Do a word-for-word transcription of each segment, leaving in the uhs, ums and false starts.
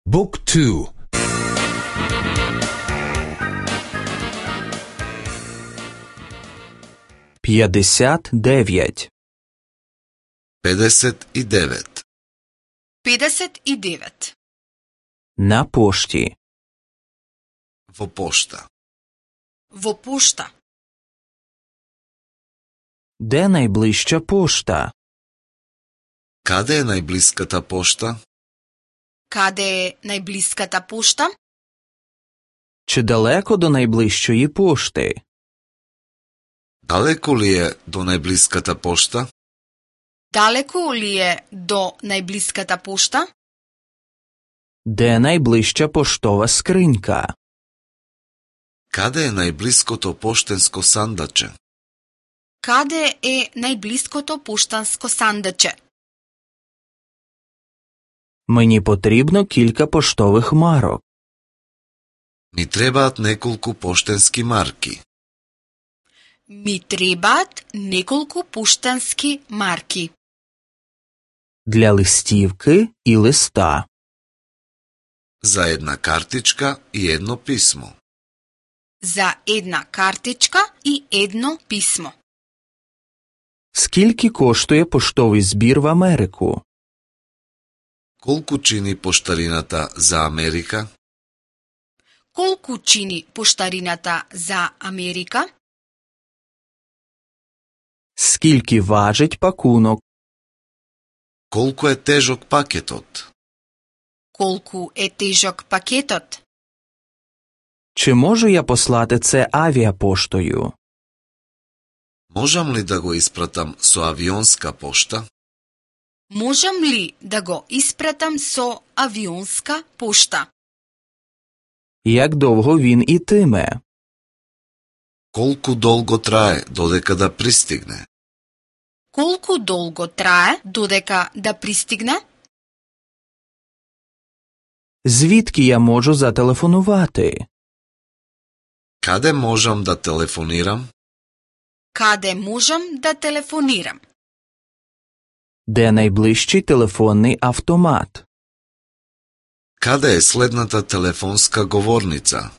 Book two. п'ятдесят дев'ять. педесет и девет. педесет и девет. На пошті. Во пошта. Во пошта. Де найближча пошта? Каде е најблиската пошта? Каде е најблиската пошта? Чи далеко до найближчої пошти? Далеко ли е до најблиската пошта? Далеко ли е до најблиската пошта? Де найближча поштова скринька? Каде е најблиското поштенско сандаче? Каде е најблиското поштанско сандаче? Мені потрібно кілька поштових марок. Ми требаат неколку поштенски марки. Ми требаат неколку поштански марки. Для листівки і листа. За една картичка и едно писмо. За една картичка і едно писмо. Скільки коштує поштовий збір в Америку? Колку чини поштарината за Америка? Колку чини поштарината за Америка? Скільки важить пакунок? Колку е тежок пакетот? Колку е тежок пакетот? Чи можу я послати це авіапоштою? Можам ли да го испратам со авионска пошта? Можам ли да го испратам со авионска пошта? Як довго він ітиме? Колку долго трае додека да пристигне? Колку долго трае додека да пристигне? Звідки я можу зателефонувати? Каде можам да телефонирам? Каде можам да телефонирам? Де найближчий телефонний автомат? Каде е следната телефонска говорница?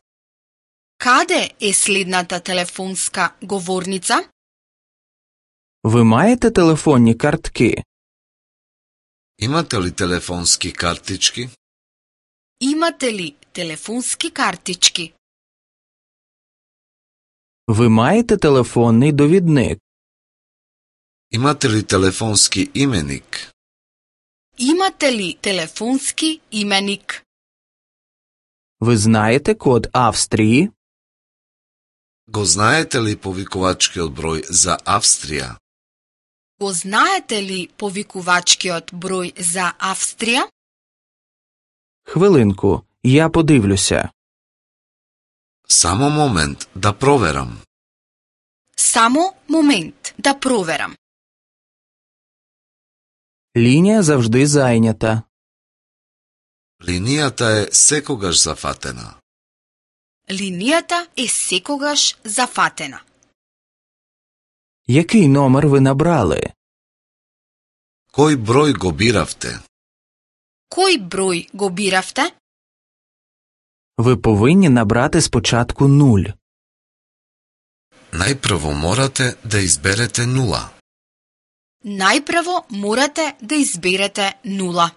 Каде е следната телефонска говорница? Ви маєте телефонні картки? Имате ли телефонски картички? Имате ли телефонски картички? Ви маєте телефонний довідник? Имате ли телефонски именик? Имате ли телефонски именик? Ви знаєте код Австрії? Го знаете ли повикувачкиот број за Австрија? Го знаете ли повикувачкиот број за Австрија? Хвилинку, я подивлюся. Само момент да проверам. Само момент да проверам. Лінія завжди зайнята. Линијата е секогаш зафатена. Линијата е секогаш зафатена. Який номер ви набрали? Кој број го биравте? Кој број го биравте? Ви повинні набрати спочатку нуль. Најпрво морате да изберете нула. Најпрво морате да изберете нула.